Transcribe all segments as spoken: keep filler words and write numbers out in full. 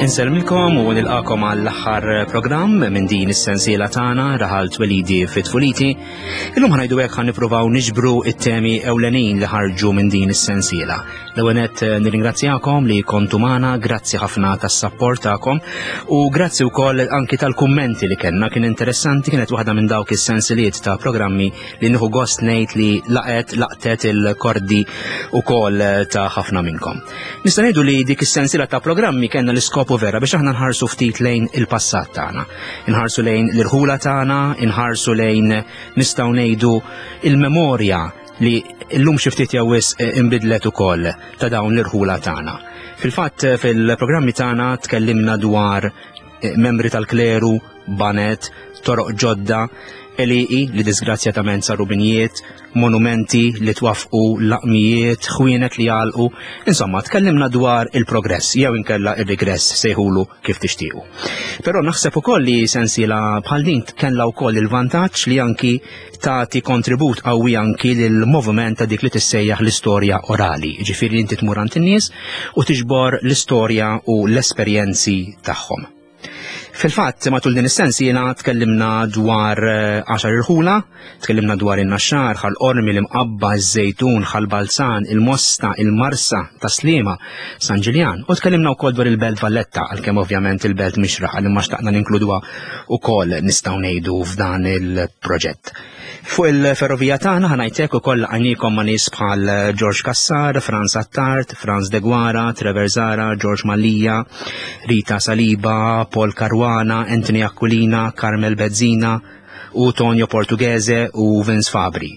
Insellmilkom u nilqakom għall-aħħar programm minn din is-sensiela tagħna Raħal Twelidi fit Tfuliti. Illum ħa ngħidu hekk ħa nippruvaw niġbru it-temi ewlenin li ħarġu minn din is-sensiela. L-ewwel nett nirringrazzjakom li kontu magħna, grazzi ħafna tas-sapport tagħkom u grazzi wkoll anki tal-kummenti li kellna. Kien interessanti, kienet waħda minn dawk is-sensiliet ta' programmi li nieħu gost ngħid li laqet laqtet il-kordi ukoll ta' ħafna minnkom. Nista' ngħidu li dik is-sensiela ta' programmi kellna l-iskopu vera biex aħna nħarsu ftit lejn il-passat tagħna. Inħarsu lejn l-irħula tagħna, inħarsu lejn, nistgħu ngħidu, il-memorja li llum xi ftit jew wisq inbidlet ukoll ta' dawn l-irħula tagħna. Fil-fatt, fil-programmi tagħna tkellimna dwar eh, membri tal-kleru, banet, toroq ġodda, għelieqi li disgrazzjatament saru binjiet, monumenti li twafqu, laqmijiet, ħwienet li għalqu, insomma, tkellimna dwar il-progress, jew inkella il-regress, sejħulu kif tixtiequ. Però naħseb ukoll li sensiela bħal din kellha wkoll il-vantaġġ li anki tagħti kontribut qawwi anki lil moviment ta' dik li tissejjaħ l-istorja orali, ġifieri inti tmur għand in-nies u tiġbor l-istorja u l-esperjenzi tagħhom. Fil-fatt, matul din is-sensiela tkellimna dwar eh, għaxar irħula, tkellimna dwar in-Naxxar, Ħal Qormi, l-Imqabba, iż-Żejtun, Ħal Balzan, il-Mosta, il-Marsa, Tas-Sliema, San Ġiljan, u tkellimna wkoll dwar il-Belt Valletta, għalkemm ovvjament il-Belt mhix raħal, imma xtaqna ninkluduha wkoll, nistgħu ngħidu, f'dan il-proġett. Fuq il-ferrovija tagħna, ħa ngħidlek, ukoll għajnikom ma' nies bħal George Cassar, Franz Attard, Franz Deguara, Trevor Zara, George Mallia, Rita Saliba, Paul Caruana, Anthony Aquilina, Carmel Bezzina u Tonio Portughese u Vince Fabri.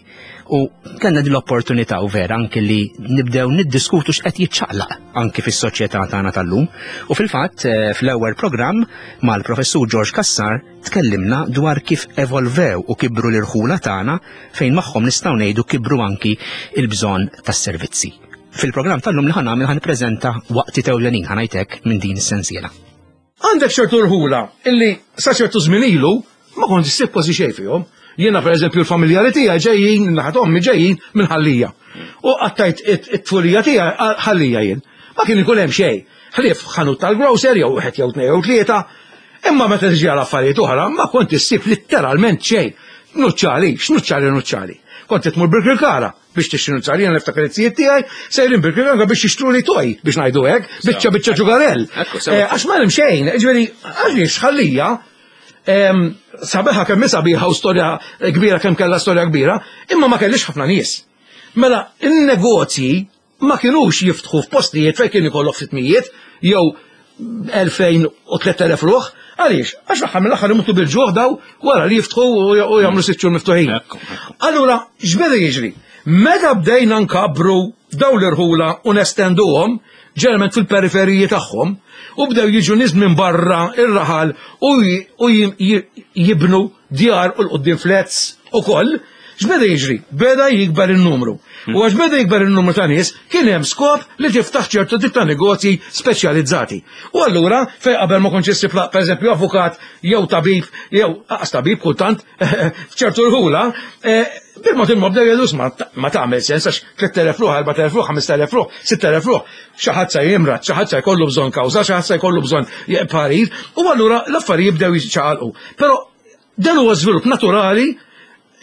U kellna din l-opportunità u vera anki li nibdew niddiskutu x'qed jiċċaqlaq anki fis-soċjetà tagħna tal-lum. U fil-fatt, eh, fl-ewwel programm mal-professur George Cassar tkellimna dwar kif evolvew u kibru l-irħula tagħna, fejn magħhom, nistgħu ngħidu, kibru anki il-bżonn tas-servizzi. Fil-programm tal-lum li ħa nagħmel, ħa nippreżenta waqtiet ewlenin, ħa ngħidlek, minn din is-sensiela. Għandek ċertu rħula illi sa ċertu żmien ilu ma kont issib kważi xejn fihom. Jiena, per eżempju, l-familjari tiegħi ġejjin, naħat ommi, ġejjin minn Ħal Lija. U qattajt it-tfulija tiegħi Ħal Lija jien. Ma kien ikun hemm xejn. Ħlief ħanut tal-grocer jew wieħed jew tnejn jew tlieta. Imma meta tiġi għal affarijiet oħra ma kont issib litteralment xejn. Nuċċali, x'nuċċali nuċċali? Kont tmur Birkirkara biex tixtri nuċċali. Jiena niftakar it-tijiet tiegħi sejrin Birkirkara biex jixtru li toj, biex ngħidu hekk, biċċa biċċa ġugarell. Ekku, sewa. Eh, Għax ma hemm xejn, ġifieri għaliex Ħal Lija em, sabiħa kemm sabiħa u storja kbira kemm kellha storja kbira, imma ma kellix ħafna nies. Mela, in-negozji ma kienux jiftħu f'postijiet fejn kien ikollok sitt mijiet jew elfejn u tlett elef ruħ. Għaliex? Għax l-aħħar mill-aħħar imutu bil-ġuħ daw wara li jiftħu u u jagħmlu sitt xhur miftuħin. Ekku, ekku. Allura, x'beda jiġri? Meta bdejna nkabru daw l-irħula u nestenduhom, ġeneralment fil-periferiji tagħhom, u bdew jiġu nies minn barra ir-raħal u j- u j- j- jibnu djar u l-qoddim flats u koll, x'beda jiġri? Beda jikber il-numru. U għax beda jikber il-numru ta' nies, kien hemm skop li tiftaħ ċertu tip ta' negozji speċjalizzati. U allura, fej qabel ma kontx issib, per eżempju, avukat jew tabib, jew aqas tabib kultant, f'ċertu rħula, eh, bil-mod il-mod bdew jgħidu, ma ma tagħmel sens għax tlett elef ruħ, erbat elef ruħ, ħamest elef ruħ, sitt elef ruħ, xi ħadd se jimrad, xi ħadd se jkollu bżonn kawża, xi ħadd se jkollu bżonn parir, u allura l-affarijiet bdew jiċċaqalqu. Però dan huwa żvilupp naturali,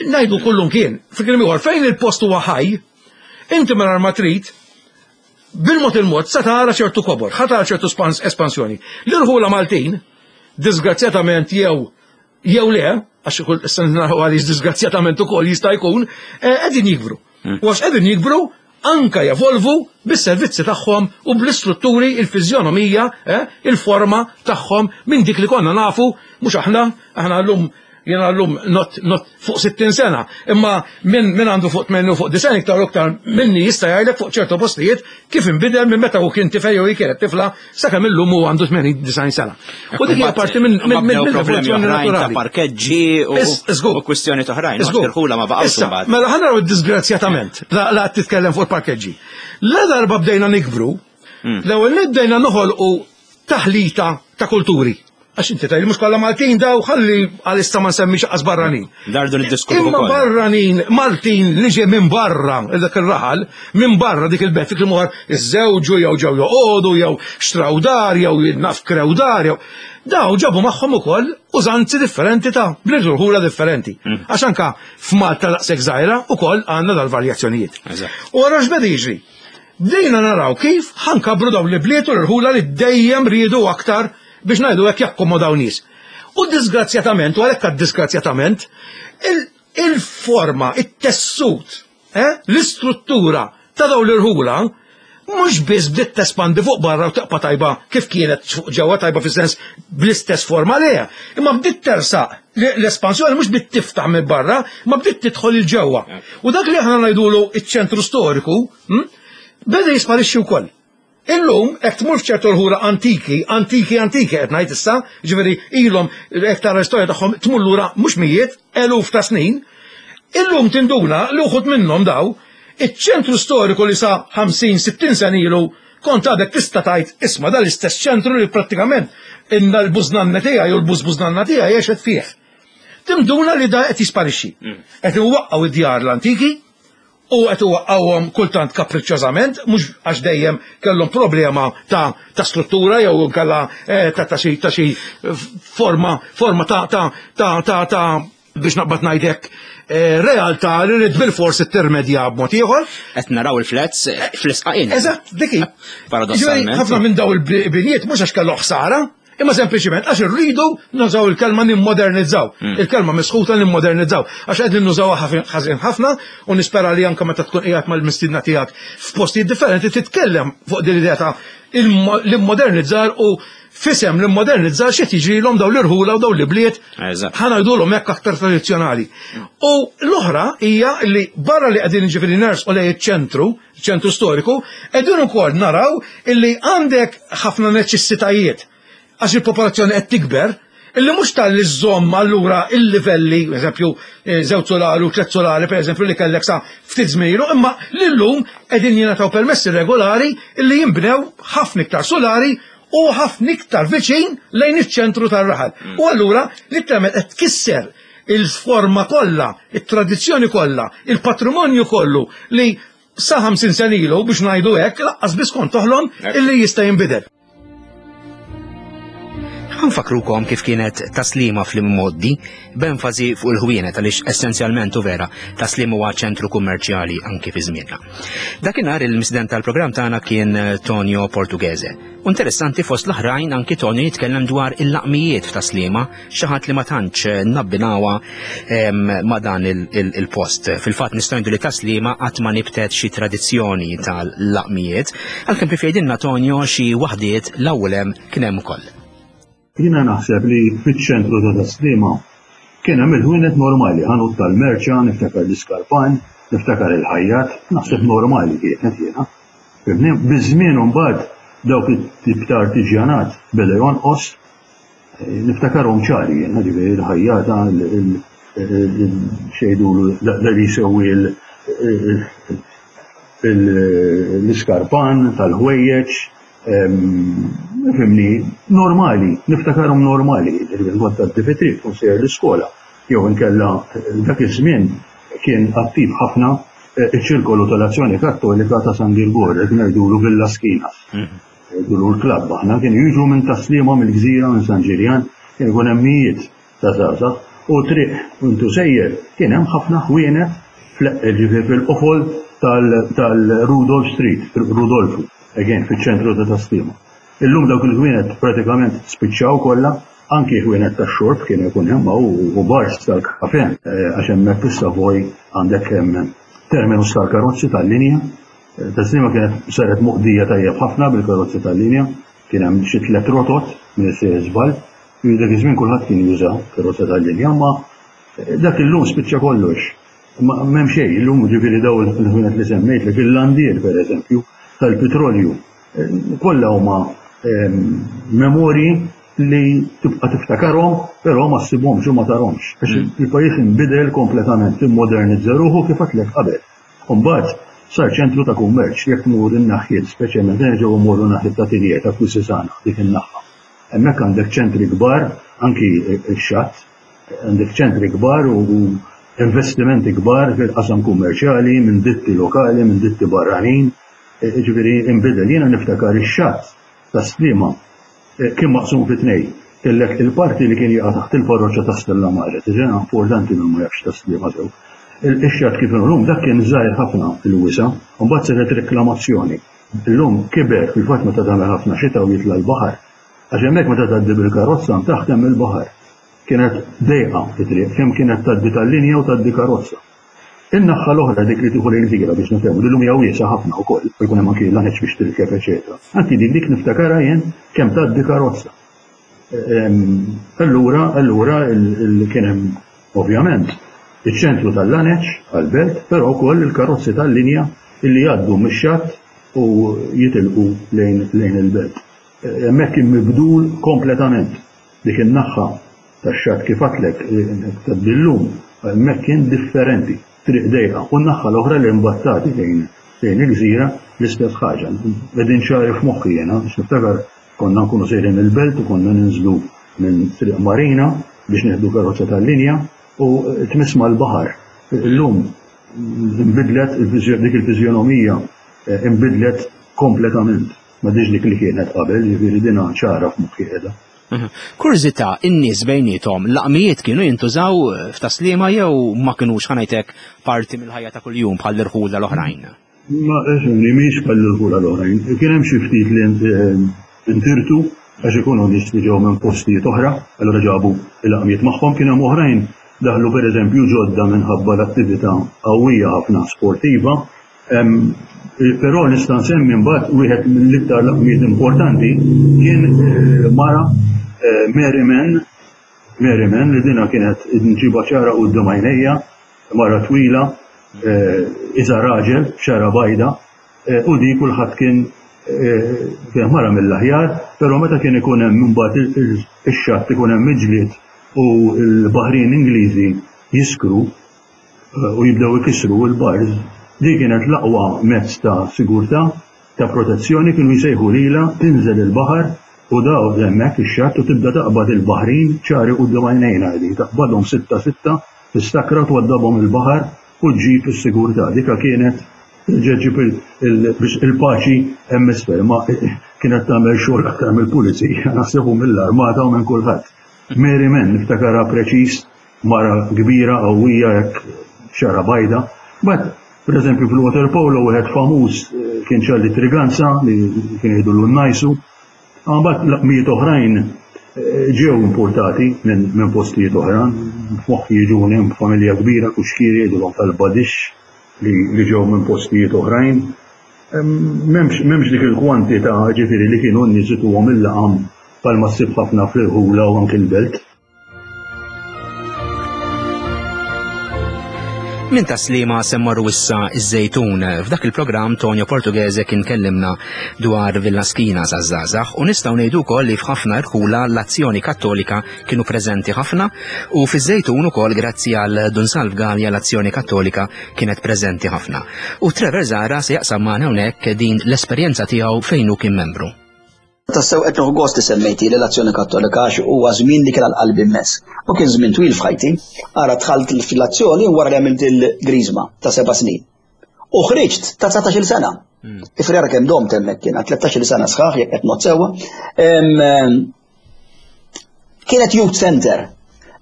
ngħidu kullum kien. Fi kliem ieħor, fejn il-post huwa ħaj, inti mingħajr ma trid, bil-mod il-mod sa tara ċertu kobor, ħa tara ċertu spans- espansjoni. L-irħula Maltin, disgrazzjatament jew jew le, għax kull issa naraw għaliex disgrazzjatament ukoll jista' jkun, eh, qegħdin jikbru. U għax qegħdin jikbru, anka jevolvu bis-servizzi tagħhom u bl-istrutturi, il-fiżjonomija, eh, il-forma tagħhom minn dik li konna nafu, mhux aħna, aħna llum, jena llum not, not fuq sittin sena, imma minn min għandu fuq tmenin u fuq disgħin iktar u iktar minni jista' jgħidlek fuq ċertu postijiet kif inbidel minn meta hu kien tifel jew hi kienet tifla sakemm illum hu għandu tmenin disgħin sena. U dik hija parti minn minn minn Bdew problemi mill-evoluzzjoni oħrajn ta' naturali. parkeġġi u Is- żgur. u kwistjoni oħrajn. Żgur. Irħula ma baqgħux Issa, imbagħad. mela ħa naraw disgrazzjatament, la la titkellem fuq il-parkeġġi. La darba bdejna nikbru, Hmm. l-ewwel li bdejna noħolqu taħlita ta' kulturi. Għax inti tgħid mhux kollha Maltin daw, ħalli għalissa ma nsemmix qas barranin. Dardu niddiskutu Imma ukoll. Barranin, Maltin li ġej minn barra dak ir-raħal, minn barra dik il-belt, dik il-muħar, iżżewġu jew ġew joqogħdu jew xtraw dar jew naf krew dar jew. Daw ġabu magħhom ukoll użanzi differenti ta' bliet u rħula differenti. Għax anka f'Malta daqshekk żgħira ukoll għandna dal-varjazzjonijiet. Eżatt. U għara x'beda jiġri? Bdejna naraw kif ħa nkabbru daw l-bliet u l-rħula li dejjem riedu aktar, biex ngħidu hekk, jakkomodaw nies. U disgrazzjatament, u għalhekk disgrazzjatament, il- il-forma, it-tessut, eh, l-istruttura ta' daw l-irħula mhux biss bdiet tespandi fuq barra u taqpa tajba kif kienet fuq ġewwa, tajba fis-sens bl-istess forma leha, imma bdiet tersaq l-espansjoni, mhux bdiet tiftaħ minn barra, imma bdiet tidħol il-ġewwa. U dak li aħna ngħidulu iċ-ċentru storiku, hm, beda jisparixxi wkoll. Illum, jekk tmur f'ċertu rħula antiki, antiki, antiki qed ngħid issa, ġifieri ilhom hekk tara l-istorja tagħhom tmur lura mhux mijiet, eluf ta' snin, illum tinduna li uħud minnhom daw, iċ-ċentru storiku li sa ħamsin sittin sena ilu kont għadek tista' tgħid, isma', dal istess ċentru li prattikament inna l-bużnanna tiegħi u l-bużbużnanna tiegħi għexet fih. Tinduna li da qed jisparixxi. Qed iwaqqgħu id-djar l-antiki u qed iwaqqgħuhom kultant kapriċċjożament, mhux għax dejjem kellhom problema ta' ta' struttura jew inkella eh, ta' ta' xi ta' xi forma forma ta' ta' ta' ta' ta' biex naqbad ngħidlek eh, realtà li rrid bil-fors tirrimedja b'mod ieħor. Qed naraw il-flats fl-isqaqin. Eżatt, dik hi. Paradossalment. Ġifieri, ħafna minn daw il-binijiet mhux għax kellu ħsara, imma sempliċiment għax irridu nużaw il-kelma nimmodernizzaw. Il-kelma misħuta nimmodernizzaw. Għax qegħdin nużawha ħażin ħafna u nispera li anke meta tkun qiegħed mal-mistiedna tiegħek f'postijiet differenti titkellem fuq din l-idea ta' l-immodernizzar u fisem l-immodernizzar xi jiġrilhom daw l-irħula u daw l-ibliet, Eżatt. ħa ngħidulhom hekk, aktar tradizzjonali. U l-oħra hija li barra li qegħdin, ġifieri, ners u lej ċentru, ċentru storiku, qegħdin ukoll naraw illi għandek ħafna neċessitajiet għax il-popolazzjoni qed tikber, illi mhux tal-li żomm allura il-livelli, eżempju, eh, żewġ solari u tliet solari, per eżempju, li kellek sa ftit żmien ilu, imma l-lum qegħdin jingħataw permessi regolari illi jinbnew ħafna iktar solari u ħafna iktar viċin lejn iċ-ċentru tar-raħal. U allura li tagħmel, qed tkisser il-forma kollha, it-tradizzjoni kollha, il-patrimonju kollu li sa ħamsin sena ilu, biex ngħidu hekk, laqqas biss kont toħlom illi jista' jinbidel. Ħa nfakkrukom kif kienet Tas-Sliema fl-immoddi, b'enfasi fuq il-ħwienet, għaliex essenzjalment u vera Tas-Sliema huwa ċentru kummerċjali anki fi żmienna. Dakinhar il-mistieden tal-programm tagħna kien Tonio Portughese. U interessanti, fost l-oħrajn anki Tonio jitkellem dwar il-laqmijiet f'Tas-Sliema, xi ħadd li ma tantx nabbinawha em, ma' dan il- il- il-post. Fil-fatt nistgħu ngħidu li Tas-Sliema qatt ma nibtet xi tradizzjoni tal-laqmijiet, għalkemm kif jgħidilna Tonio xi waħdiet l-ewwel hemm kien hemm ukoll. Jiena naħseb li fiċ-ċentru ta' Tas-Sliema kien hemm il-ħwienet normali, ħanut tal-merċa, niftakar l-iskarpan, niftakar il-ħajjat, naħseb normali kienet jiena. Fhimni? Biż-żmien mbagħad dawk it-tip ta' artiġjanat beda jonqos, eh, niftakarhom ċari jiena, ġifieri il-ħajjata, xejdulu da li jsewwi il- il- l-iskarpan tal-ħwejjeġ, fhimni, normali, niftakarhom normali, ġifieri kont tad-D P three tkun sejjer l-iskola, jew inkella dak iż-żmien kien attiv ħafna eh, iċ-ċirkolu tal-Azzjoni Kattolika ta' San Girgor, qed ngħidulu Villa Skinas. Ngħidulu l-klabb aħna, kienu jiġu minn Tas-Sliema, mill-Gżira, minn San Ġiljan, kien ikun hemm mijiet ta' żgħażagħ u triq intu sejjer kien hemm ħafna ħwienet ġifieri fil-qofol tal-Rudolf Street, Rudolfu, again fiċ-ċentru ta' Tas-Sliema. Illum dawk il-ħwienet pratikament spiċċaw kollha, anki ħwienet ta' xorb kien ikun hemm u bars tal-kafe, eh, għax hemmhekk fis-Savoy għandek hemm terminus tal-karozzi tal-linja. Eh, Tas-Sliema kienet saret moqdija tajjeb ħafna bil-karozzi tal-linja, kien hemm xi tliet rotot minn sejjer żball, dak iż-żmien kulħadd kien juża karozza tal-linja, ma dak illum spiċċa kollox. Ma m'hemm xejn, illum ġifieri daw il-ħwienet li semmejt li fil-landier pereżempju tal-petrolju, eh, kollha huma ehm, memorji li tibqa' tiftakarhom, però ma ssibhomx u ma tarhomx. Għax il-pajjiż inbidel kompletament, immodernizza ruħu kif għedtlek qabel. Imbagħad sar ċentru ta' kummerċ, jekk tmur in-naħjiet, speċjalment nerġgħu mmorru naħjiet ta' Tiljer, ta' Quisisana, dik in-naħa. Hemmhekk għandek ċentri kbar, anki x-xatt, għandek ċentri kbar u investimenti kbar fil-qasam kummerċjali minn ditti lokali, minn ditti barranin, ġifieri inbidel. Jiena niftakar ix-xatt ta' Sliema kien maqsum fi tnejn. Kellek il-parti li kien jaqa' taħt il-parroċċa ta' Stella Mare, tiġi importanti minn ma jafx ta' Sliema sew. Ix-xatt kif illum dak kien żgħir ħafna il-wisa, u mbagħad saret reklamazzjoni. Illum kiber fil-fatt meta tagħmel ħafna xita u jitla' l-baħar. Għax hemmhekk meta tgħaddi bil-karozza taħt hemm il-baħar. Kienet dejqa fit-triq, kemm kienet tgħaddi tal-linja u tgħaddi karozza. In-naħa l-oħra dik li tieħu lejn Gżira biex nifhemu li llum hija wiesgħa ħafna wkoll, u jkun hemm anki laneċ biex tirkeb eċetera. Anki dik dik niftakarha jien kemm tgħaddi karozza. Allura, allura kien hemm ovvjament iċ-ċentru tal-laneċ għall-belt, però wkoll il-karozzi tal-linja illi jgħaddu mix-xatt u jitilqu lejn lejn il-belt. Hemmhekk kien mibdul kompletament dik in-naħa tax-xatt kif għedtlek tgħaddi hemmhekk kien differenti, triq dejqa. U n-naħa l-oħra li mbattati lejn lejn il-gżira l-istess ħaġa. Qegħdin ċari f'moħħi jiena, biex niftakar konna nkunu sejrin il-belt u konna ninżlu minn Triq Marina biex nieħdu karozza tal-linja u tmiss mal-baħar. Illum inbidlet dik il-fiżjonomija inbidlet kompletament. Ma diġ dik li kienet qabel, jiġifieri dina ċara f'moħħi qiegħda. Kurżità, in-nies bejniethom laqmijiet kienu jintużaw f'Tas-Sliema jew ma kinux ħa ngħidlek parti mill-ħajja ta' kuljum bħal irħula l-oħrajn? Ma ifhimni, mhix bħal irħula l-oħrajn. Kien hemm xi ftit li intirtu għax ikunu nies li ġew minn postijiet oħra, allura ġabu il-laqmijiet magħhom, kien hemm oħrajn daħlu pereżempju ġodda minħabba l-attività qawwija ħafna sportiva. Però nista' nsemmi mbagħad wieħed mill-iktar laqmijiet importanti kien mara Mary Mann, Mary Mann li dina kienet nġiba ċara quddiem għajnejja, mara twila, iża raġel, xara bajda, u di kulħadd kien kien mara mill-aħjar, però meta kien ikun hemm imbagħad ix-xatt ikun hemm iġlied u l-baħrin Ingliżi jiskru u jibdew ikissru l-bars, di kienet l-aqwa mezz ta' sigurtà, ta' protezzjoni, kienu jsejħu lilha tinżel il-baħar u daw hemmhekk ix-xatt u tibda taqbad il-baħrin ċari quddiem għajnejna di, taqbadhom sitta sitta, tistakra twaddabhom il-baħar u ġġib is-sigurtà. Dika kienet ġġib il-paċi hemm isfel, ma kienet tagħmel xogħol aktar mill-pulizija, naħseb mill-armata u minn kulħadd. Mary Mann niftakarha preċiż, mara kbira qawwija hekk xara bajda. But per eżempju fil-water polo wieħed famuż kien Charlie Triganza li kien jgħidu l-najsu. Mbagħad laqmijiet oħrajn ġew importati minn postijiet oħra. F'moħħi jiġuni hemm familja kbira kuxkieri jgħidulhom tal-Badix li ġew minn postijiet oħrajn. M'hemmx dik il-kwantità ġifieri li kienu n-nies ituhom il-laqam bħalma ssib ħafna fl-irħula u anke l-belt. Minn Tas-Sliema se mmorru issa iż-Żejtun. F'dak il-programm Tonio Portughese kien kellimna dwar Villa Schina żgħażagħ u nistgħu ngħidu wkoll li f'ħafna irħula l-azzjoni kattolika kienu preżenti ħafna u fiż-Żejtun ukoll grazzi għal Dun Salv Galea l-azzjoni kattolika kienet preżenti ħafna. U Trevor Zahra se jaqsam magħna hawnhekk din l-esperjenza tiegħu fejn hu kien membru. Tassew qed nieħu gost li semmejti li l-azzjoni kattolika għax huwa żmien li kien għal qalbi immens. U kien żmien twil f'ħajti. Ara dħalt fl-azzjoni wara li għamilt il-griżma ta' seba' snin. U ħriġt ta' dsatax-il sena. Ifri ara kemm domt hemmhekk kien, tlettax-il sena sħaħ jekk qed ngħod sewwa. Kienet youth center.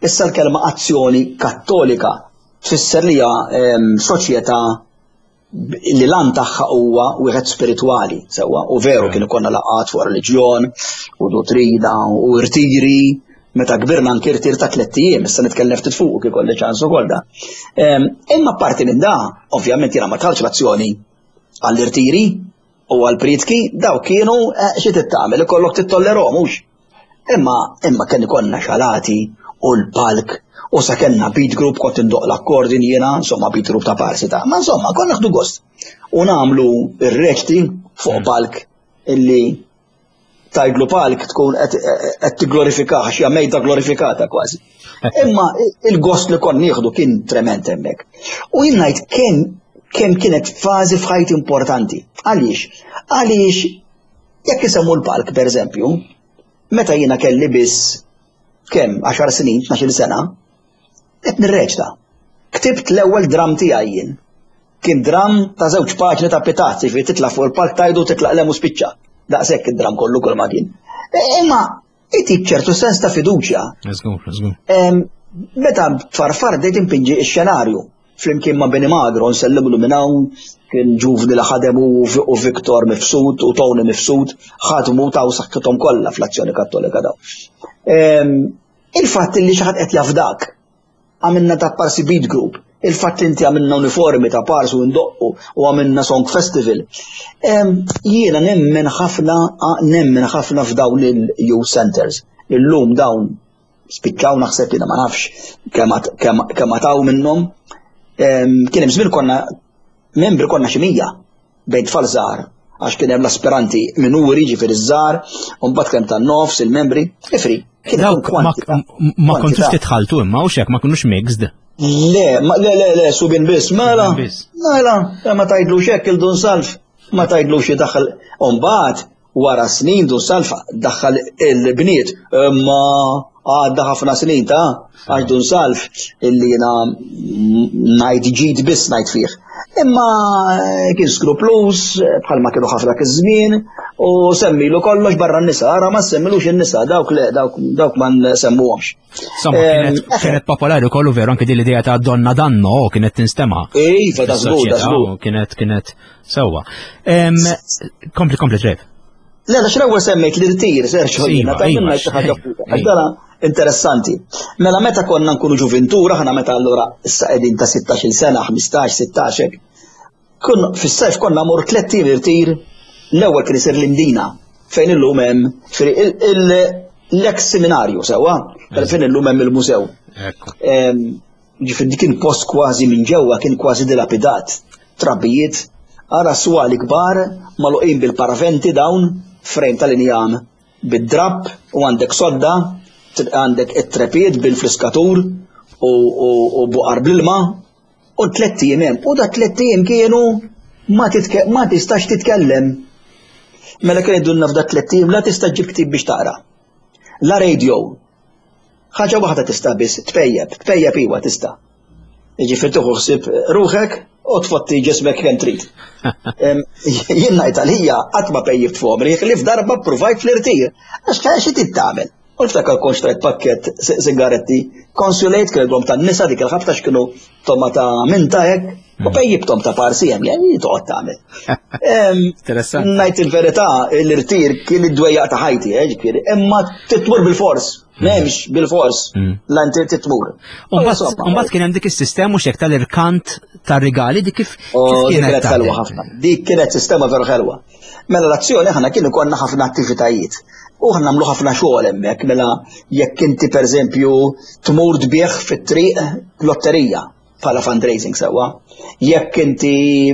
Issa l-kelma azzjoni kattolika tfisser li hija soċjetà li lan tagħha huwa wieħed spiritwali, sewwa, u veru kien ikollna laqgħat fuq reliġjon u dottrina u irtiri, meta kbirna anke irtir ta' tliet ijiem, issa nitkellem ftit fuq kif ikolli ċans ukoll da. Imma parti minn da, ovvjament jiena ma dħaltx l-azzjoni għall-irtiri u għall-prietki, daw kienu xi tittamel, ikollok titollerhom mhux. Imma imma kien ikollna xalati u l-palk u sa kellna beat group kont indoq l-akkordin jiena, insomma beat group ta' parsi ta' ma insomma konna naħdu gost. U nagħmlu ir-reċti fuq palk illi tajdlu palk tkun qed tigglorifikah għax hija mejda glorifikata kważi. Imma il-gost li konna nieħdu kien trement hemmhekk. U jien ngħid kemm kemm kienet fażi f'ħajti importanti. Għaliex? Għaliex jekk isemmu l-palk pereżempju, Meta jiena kelli biss kemm għaxar snin, tnax-il sena, qed nirreċta. Ktibt l-ewwel dram tiegħi jien. Kien dram ta' żewġ paġni ta' pitazzi, jiġifieri titla' fuq il-palk tajdu titlaq lem u spiċċa. Daqshekk id-dram kollu kull ma kien. E, imma itik ċertu sens ta' fiduċja. Żgur, żgur. Meta tfarfar bdejt impinġi x-xenarju flimkien ma' Beni Magro, nsellimlu minn hawn, kien ġuvni li ħadem u Viktor Mifsud u Tony Mifsud, ħadmu taw saħħithom kollha fl-Azzjoni Kattolika daw. Il-fatt li xi ħadd qed jafdak, għamilna ta' parsi beat group, il-fatt li inti għamilna uniformi ta' parsi u ndoqqu u għamilna song festival. Jiena nemmen ħafna, nemmen ħafna f'dawn il-youth centers. Illum dawn spiċċaw naħseb jiena ma nafx kemm għataw minnhom. Kien hemm żmien konna membri konna xi mija bejn tfal żgħar għax kien hemm l-aspiranti minuri ġifieri żgħar, u mbagħad kemm tan-nofs il-membri, ifri. Kien Dawk ma ma kontux titħaltu imma u xek ma kinux mixed. Le, le, le, le, subien biss, mela, mela, ma tgħidlux hekk il-Dun Salv, ma tgħidlux jidaħħal. Umbagħad wara snin Dun Salv daħħal il-bniet, imma għadda ħafna snin ta' għax Dun Salv illi jiena ngħid ġid biss ngħid fih. Imma kien skruplus, bħalma kienu ħafna dak iż-żmien, u semmilu kollox barra n-nisa, ara ma semmilux in-nisa, dawk le, dawk, dawk ma nsemmuhomx. Insomma, kienet, kienet popolari kollu veru anke din l-idea ta' donna danno kienet tinstema'. Iva, da żgur, da żgur. Kienet, kienet sewwa. Kompli, kompli, Trev. Le, għax l-ewwel semmejt l-irtir, Sergio, jiena, ta' minna xi ħaġa għax dana interessanti. Mela meta konna nkunu ġuventura, ħana meta allura issa qegħdin ta' sittax-il sena, ħmistax, sittax hekk. Kun fis-sajf konna mor tliet ijiem irtir, l-ewwel kien isir l-Imdina, fejn illum hemm l-ex seminarju sewwa, fejn illum hemm il-mużew. Ġifieri kien post kważi minn ġewwa, kien kważi dilapidat, trabijiet, ara swali kbar, magħluqin bil-paraventi dawn, frame tal-injam bid-drapp u għandek sodda, għandek it-trepied bil-fliskatur u buqar bl-ilma u tlett ijiem hemm. U da tlett ijiem kienu ma tistax titkellem. Mela kien idunna f'da tlett ijiem la tista' ġib ktib biex taqra. La radio. Ħaġa waħda tista' biss, tpejjeb, tpejjeb iwa tista'. Jiġifieri tieħu ħsieb ruħek u tfotti ġismek kemm trid. Jien ngħid għalija qatt ma pejjibt f'għomri, li f'darba ppruvajt fl-irtir. Għax xi trid tagħmel? U niftakar kont xtrajt pakkett sigaretti, konsulejt kienu tan-nisa dik il-ħabta x'kienu toma ta' minta hekk, u pejjibtom ta' parsi hemm, jgħid toqgħod tagħmel. Interessanti. Ngħid il-verità, l-irtir kien id-dwejjaq ta' ħajti, eh, ġifieri, imma titmur bil-fors, m'hemmx bil-fors, la inti titmur. U mbagħad kien hemm dik is-sistema mhux hekk tal-irkant tar-rigali, dik kif kienet kienet ħelwa ħafna. Dik kienet sistema veru ħelwa. Mela l-azzjoni aħna kien ikollna ħafna attivitajiet. U aħna nagħmlu ħafna xogħol hemmhekk, mela jekk inti pereżempju tmur tbieħ fit-triq lotterija bħala fundraising sewwa. Jekk inti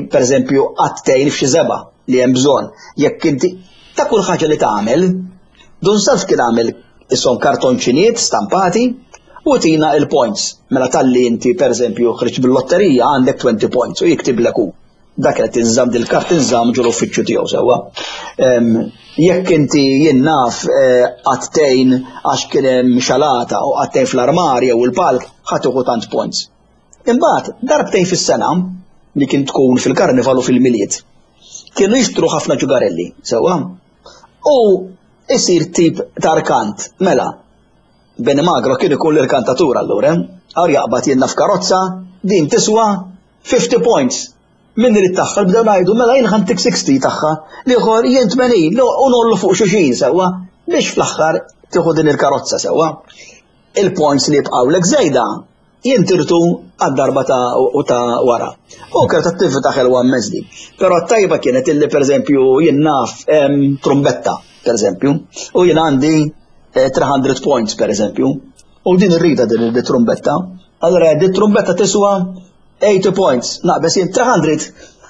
pereżempju qatt tgħin f'xi żebgħa li hemm bżonn, jekk inti ta' kull ħaġa li tagħmel, Dun Salv kien għamel ishom kartonċinijiet stampati u tina il-points. Mela talli inti pereżempju ħriġt bil-lotterija għandek twenty points u jiktiblek hu. Dak qed tinżamm dil-kart tinżamm ġol uffiċċju tiegħu sewwa. Jekk inti jien naf qatt tgħin għax kien hemm xalata u qatt tgħin fl-armarja u l-palk, ħadd tieħu tant points. Imbagħad darbtejn fis-sena li kien tkun fil-karnival u fil-Milied, kienu jixtru ħafna ġugarelli sewwa. U isir tip ta' arkant, mela. Beni Magro kien ikun l-irkantatur allura, għar jaqbad jienna f'karozza, din tiswa fifty points. Min irid tagħha bdew ngħidu mela jien ħantik sixty tagħha, l-ieħor jien tmenin, u nollu fuq xulxin sewwa biex fl-aħħar tieħu din il-karozza sewwa. Il-points li jibqgħulek żejda jintirtu għad-darba ta' u ta' wara. U kienet attività ħelwa immens din. Però t-tajba kienet illi pereżempju jien naf hemm trumbetta, pereżempju, u jien għandi, eh, three hundred points pereżempju, u din irrida din il-trumbetta. Allora din trumbetta tiswa eighty points, naqbes jien three hundred,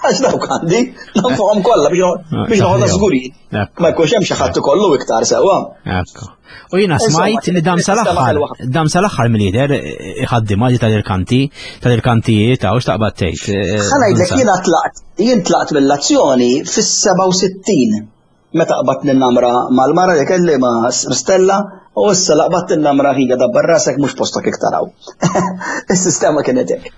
għax dawk għandi, nafhom kollha biex Ah, biex noħodha saħħa. żguri. Ekku. Ma jkunx hemm xi ħadd ikollu iktar sewwa. Ekku. U jiena Insomma, smajt li dam sistema sal-aħħar, ħelwa ħafna. dam sal-aħħar mill-lider iħaddimha di tal-irkanti, tal-irkantijiet, hawn x'taqbad tgħid, eh, Ħa ngħidlek Dunsa. jiena tlaqt, jien tlaqt mill-azzjoni fis-seba' u sittin. Meta qbadt n-namra mal-mara li kelli ma' Stella, u issa la qbadt in-namra ħija dabbar rasek mhux postok iktar hawn. Is-sistema kienet hekk.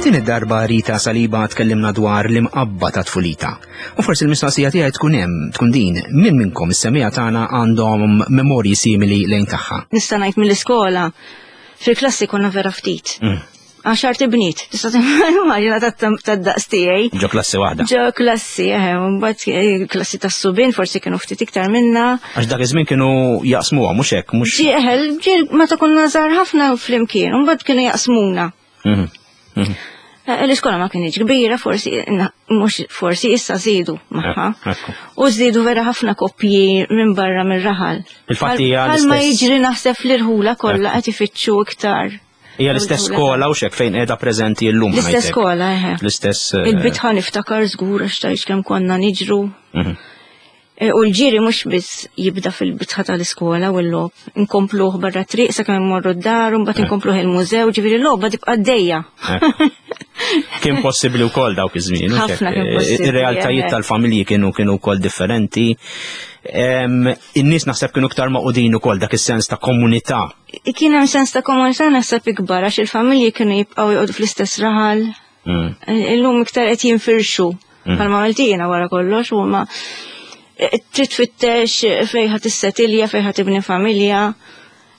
Din id-darba Rita Saliba tkellimna dwar l-imqabba ta' tfulita. U forsi l-mistoqsija tiegħi tkun hemm, tkun din, min minnkom is-semija tagħna għandhom memorji simili lejn tagħha. Nista' ngħid mill-iskola, fil-klassi konna vera ftit. Mm. Għaxar tibnit, tista' timmaġina tad-daqs tiegħi. Ġo klassi waħda. Ġo klassi, eħe, mbagħad klassi tas-subien forsi kienu ftit iktar minna. Għax dak iż-żmien kienu jaqsmuha, mhux hekk, mhux. Ġie eħe, ġie meta konna żgħar ħafna flimkien, mbagħad kienu jaqsmuna. Mhm. Mhm. L-iskola ma kienx kbira, forsi, mhux forsi issa żiedu magħha. Ekku. U żdiedu vera ħafna koppji minn barra mir-raħal. Il-fatt hija Bħal ma l-istess- jiġri naħseb l-irħula kollha qed ifittxu iktar. Hija l-istess skola u xek fejn qiegħda preżenti llum. L-istess ngħidlek. skola, eħe. L-istess. eh, Il-bitħa niftakar żgur għax tgħix kemm konna niġru. mhm. E, U l-ġiri mhux biss jibda fil-bitħa tal-iskola u l-logħob, inkompluh barra triq sakemm immorru d-dar u mbagħad inkompluh il-mużew, ġifieri l-logħba tibqa' għaddejja. Ekku. Kien possibbli wkoll dawk iż-żmien. u Ħafna xek, kien eh, possibbli, Ir-realtajiet eħe. tal-familji kienu kienu wkoll differenti. Em, In-nies naħseb kienu iktar maqudin ukoll dak is-sens ta' komunità. Kien hemm sens ta' komunità naħseb ikbar għax il-familji kienu jibqgħu joqogħdu fl-istess raħal. Mm. Illum iktar qed jinfirxu bħalma għamilt jiena wara kollox u ma trid tfittex fejn ħa tissetilja, fejn ħa tibni familja.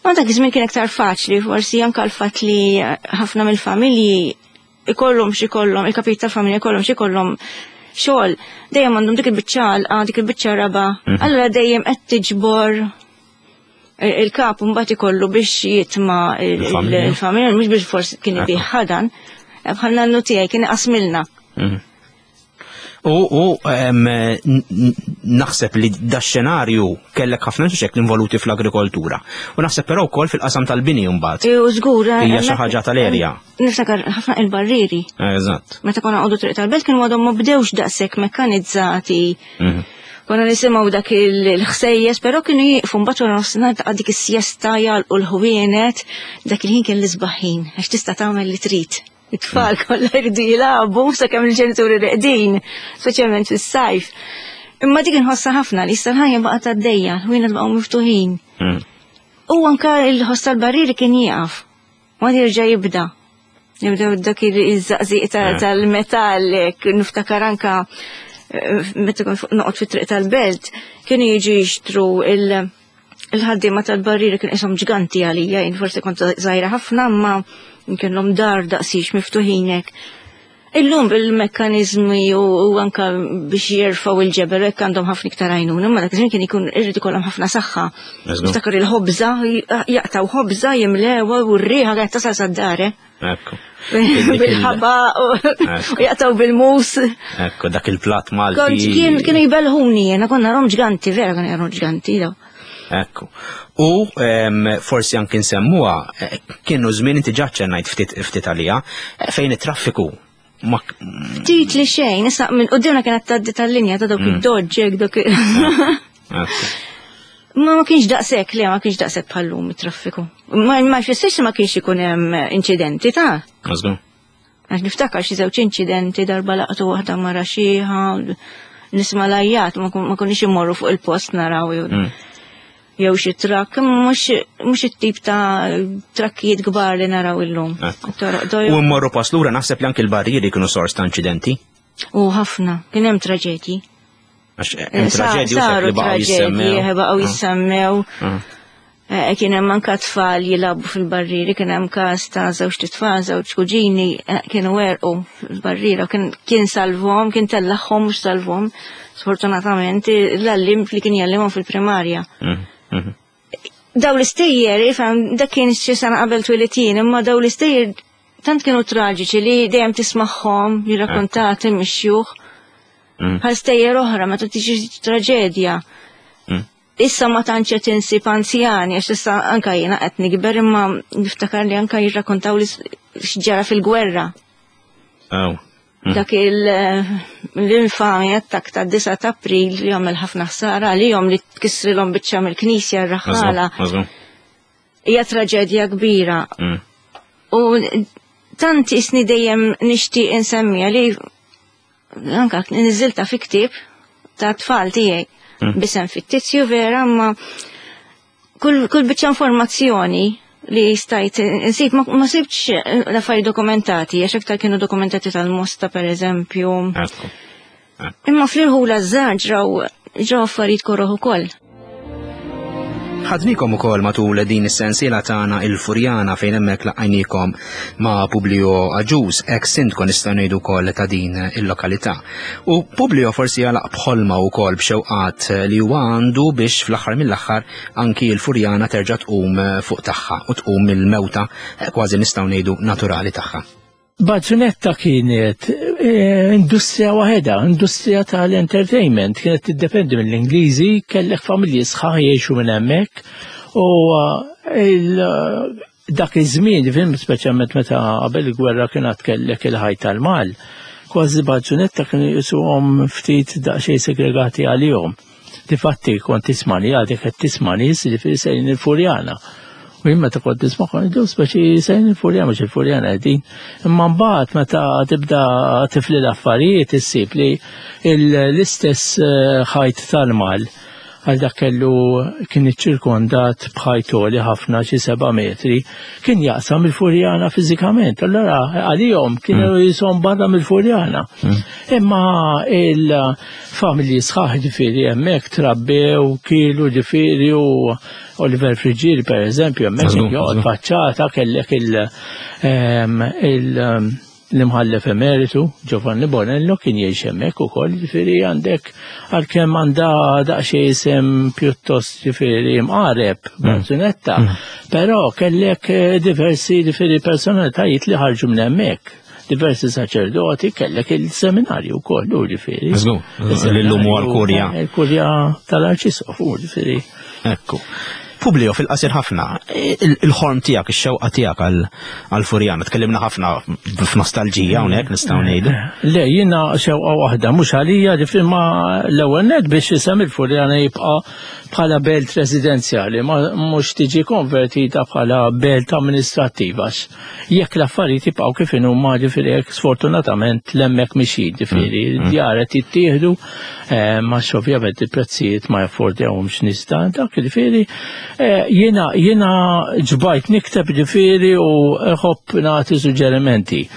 Ma dak iż-żmien kien iktar faċli, forsi anke l-fatt li ħafna mill-familji ikollhom xi kollhom, il-kapit tal-familja ikollhom xi kollhom xogħol, dejjem għandhom dik il-biċċa għalqa, dik il-biċċa raba. Allura dejjem qed tiġbor il-kap mbagħad ikollu biex jitma' il- Il-familja. il-familja, mhux biex forsi kien Ekku. ibih ħadan, bħal nannu tiegħi kien iqasmilna. Mhm. U, u em, n- n- naħseb li da xenarju kellek ħafna xek involuti fl-agrikoltura. U naħseb però wkoll fil-qasam tal-bini mbagħad. U żgur. Hija xi ħaġa tal-erja. Niftakar ħafna il-barriri. Eżatt. Meta konna għodu triq tal-belt kienu għadhom ma bdewx daqshekk mekkanizzati. Mhm. Konna nisimgħu dak il-ħsejjes, però kienu jieqfu mbagħad wara nofsinhar ta' dik is-sjesta jagħlqu l-ħwienet, dak il-ħin kien l-isbaħ ħin għax tista' tagħmel li trid. It-tfal kollha jridu jilagħbu sakemm il-ġenituri reqdin, speċjalment fis-sajf. Imma dik inħossha ħafna li issa l-ħajja baqgħet għaddejja, l-ħwienet baqgħu miftuħin. Mhm. U anka il-ħoss tal-barriri kien jieqaf. Ma jerġa' jibda. Jibdew dak iż-żaqżiq ta- Eh. tal-metall, hekk, niftakar anka eh, meta kont fuq- noqgħod fit-triq tal-belt, kienu jiġu jixtru il- il-ħaddiema tal-barriri kien qishom ġganti għalija, jien forsi kont żgħira ħafna, imma kellhom dar daqsix miftuħin hekk. Illum bil-mekkanizmi u, u anka biex jerfgħu il-ġebel hekk għandhom ħafna iktar għajnuna, imma dak iż-żmien kien ikun irrid ikollhom ħafna saħħa. Eżatt. Niftakar il-ħobża, jaqtaw ħobża, jimlewha u r-riħa kienet tasal sad-dar, eh? Ekku. Dik il- Bil-ħaba u Ekku. u jaqtaw bil-mus. Ekku, dak il-plat Kont Malti. kien kienu jbelħuni, jena konna rom ġganti, vera konna rom ġganti, daw. Ekku. U em, forsi anki nsemmuha, eh, kienu żmien inti ġa ċennajt ftit ftit għalija, eh, fejn it-traffiku ma Ftit li xejn, issa minn qudiemna kienet tgħaddi tal-linja ta' dawk id-doġġek, dawk Ekku. Ma ma kienx daqshekk, le ma kienx daqshekk bħallum it-traffiku. Ma ma jfissirx li ma kienx ikun hemm inċidenti ta' Żgur. Għax niftakar xi żewġ inċidenti darba laqtu waħda mara xieħa, nisma' lajjat, ma kun- ma konniex immorru fuq il-post naraw jew Mm. jew xi trakk, imma mhux mhux it-tip ta' trakkijiet kbar li naraw illum. Ekku. Toroq dojo. U mmorru pass lura naħseb li anki l-barrieri kienu sors ta' inċidenti. U ħafna, kien hemm traġedji. Għax hemm Sa- traġedji u xek Saru li baqgħu traġedji, jissemmew. eh, baqgħu jissemmew. Ah. Eh, Kien hemm anke tfal jilagħbu fil-barrieri, kien hemm każ ta' żewġ tfal, żewġ kuġini eh, kienu werqu fil-barriera, kien kien salvhom, kien tellagħhom mhux salvhom. Sfortunatament l-għallim li kien jgħallimhom fil-primarja. Mhm, mhm. Daw l-istejjer, ifhem, dak kien xi sena qabel twilitien, imma daw l-istejjer tant kienu traġiċi li dejjem tismagħhom jirrakkontati mix-xjuħ. Mm. Bħal stejjer oħra meta tiġi traġedja. Mm. Issa ma tantx qed insib anzjani, għax issa anka jiena qed nikber imma niftakar li anka jirrakkontaw li x'ġara fil-gwerra. Aw. Mm. Dak il- l-infami attak ta' disa ta' April li għamel ħafna ħsara għalihom li tkissrilhom biċċa mill-knisja r-raħħala. Żgur, żgur. Hija traġedja kbira. Mm. U Tant isni dejjem nixtieq insemmija li anka niżilta fi ktieb ta' tfal tiegħi Mm. b'isem fittizju vera, ma kull, kull biċċa informazzjoni li stajt insib ma, ma sibtx l-affarijiet dokumentati, għax aktar kienu dokumentati tal-Mosta per eżempju. Ekku. Imma fl-irħula żgħar ġraw ġraw affarijiet koroh ukoll. Ħadnikom ukoll matul din is-sensiela tagħna il-Furjana, fejn hemmhekk laqajnikom ma' Publio Agius, ex sindku nistgħu ngħidu wkoll ta' din il-lokalità. U Publio forsi għalaq b'ħolma wkoll, b'xewqat li huwa għandu biex fl-aħħar mill-aħħar anki l-Furjana terġa' tqum fuq tagħha u tqum mill-mewta kważi nistgħu ngħidu naturali tagħha. Bazzunetta kienet eh, industrija waħedha, industrija tal-entertainment, kienet tiddependi mill-Ingliżi, kellek familji sħaħ jgħixu minn hemmhekk u eh, il- dak iż-żmien, film speċjalment meta qabel il-gwerra kienet kellek il-ħajt tal-mal, kważi Bazzunetta kienu jisuhom ftit daqsxejn segregati għalihom. Difatti kont tisma' li għadek qed tisma' nies li sejrin il-Furjana. U jien meta kont nisma' kont ngħidu speċi sejrin il-Furjana, mhux il-Furjana qegħdin. Imma mbagħad meta tibda tifli l-affarijiet issib li l-istess eh, ħajt tal-mal għal dak kellu kien iċċirkondat b'ħajt għoli ħafna, xi seba' metri, kien jaqsam il-Furjana fiżikament. Allora għalihom kienu jisom barra mill-Furjana. Imma il-familji sħaħ ġifieri hemmhekk trabbew, kielu ġifieri, u Oliver Friggieri per eżempju hemmhekk Żgur, joqgħod żgur. faċċata, kellek il- ehm, il- l-imħallef emeritu Giovanni Bonello kien jgħix hemmhekk ukoll, ġifieri għandek għalkemm għandha daqsxejn isem pjuttost ġifieri mqareb Bazzunetta, però kellek eh, diversi ġifieri personalitajiet li ħarġu minn hemmhekk. Diversi saċerdoti, kellek il-seminarju wkoll, u ġifieri. Żgur, li llum huwa l-kurja. Il-kurja tal-Arċisqof, u ġifieri. Ekku. Publio, fil-qasir ħafna, il- il-ħolm tiegħek, ix-xewqa tiegħek għal-Furjana, tkellimna ħafna f'nostalġija hawnhekk nistgħu ngħidu. Le, jiena xewqa waħda, mhux għalija, ġifieri ma l-ewwel net biex isem il-Furjana jibqa' bħala belt residenzjali, ma mhux tiġi konvertita bħala belt amministrattiva. Għax jekk l-affarijiet jibqgħu kif inhuma, ġifieri hekk, sfortunatament l'hemmhekk mixi, ġifieri djar qed jittieħdu, eh, ma ovvjament il-prezzijiet ma jaffordjawhomx nies ta' dak, ġifieri eh, jiena jiena ġbajt nikteb ġifieri u nħobb nagħti suġġerimenti.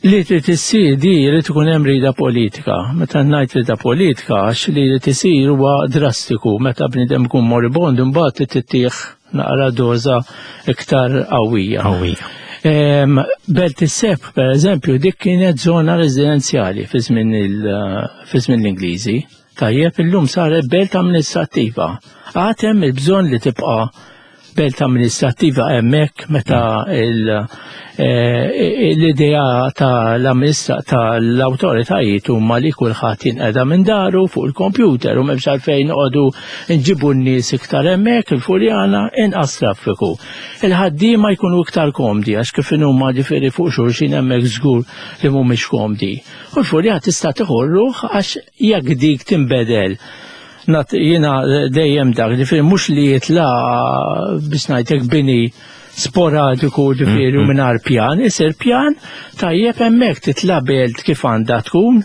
Li trid issir di jrid ikun hemm rida politika. Meta ngħid rida politika, għax li trid isir huwa drastiku, meta bniedem ikun moribond imbagħad trid tittieħ naqra doża iktar qawwija. Qawwija. Em, Belt is-Sebħ, per eżempju, dik kienet zona residenzjali fi żmien il- fi żmien l-Ingliżi. Tajjeb, illum saret belt amministrattiva. Għad hemm il-bżonn li tibqa' belt amministrattiva hemmhekk meta il- eh, l-idea tal-amministra tal-awtoritajiet huma li kulħadd jinqeda minn daru fuq il-kompjuter u m'hemmx għalfejn noqogħdu nġibu n-nies iktar hemmhekk il-Furjana, inqas traffiku. Il-ħaddiema jkunu iktar komdi, għax kif huma ġifieri fuq xulxin hemmhekk żgur li mhumiex komdi. U l-Furjana tista' tieħu ruħ, għax jekk dik tinbedel Nat, jiena dejjem dak, ġifieri mhux li jitla biex ngħidlek bini sporadiku ġifieri u mingħajr pjan, isir pjan tajjeb hemmhekk, titla belt kif għandha tkun,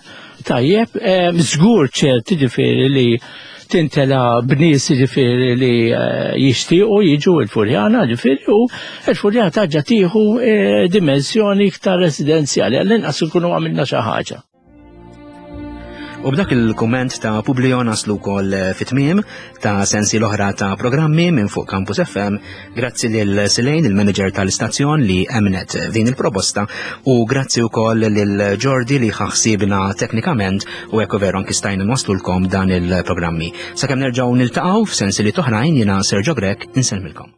tajjeb, em, żgur ċert ġifieri li tintela b'nies ġifieri li eh, jixtiequ jiġu il-Furjana ġifieri, u il-Furjana terġa' tieħu eh, dimensjoni iktar residenzjali, għall-inqas ikunu għamilna xi ħaġa. U b'dak il-komment ta' Publio naslu wkoll fit-tmiem ta' sensi l-oħra ta' programmi minn fuq Campus F M. Grazzi lil Silejn, il-manager tal-istazzjon li emnet din il-proposta, u grazzi wkoll lil Jordi li ħaħsibna teknikament u ekku veru anki stajna nwaslulkom dan il-programmi. Sakemm nerġgħu niltaqgħu f'sensi li toħrajn, jiena Sergio Grech insellmilkom.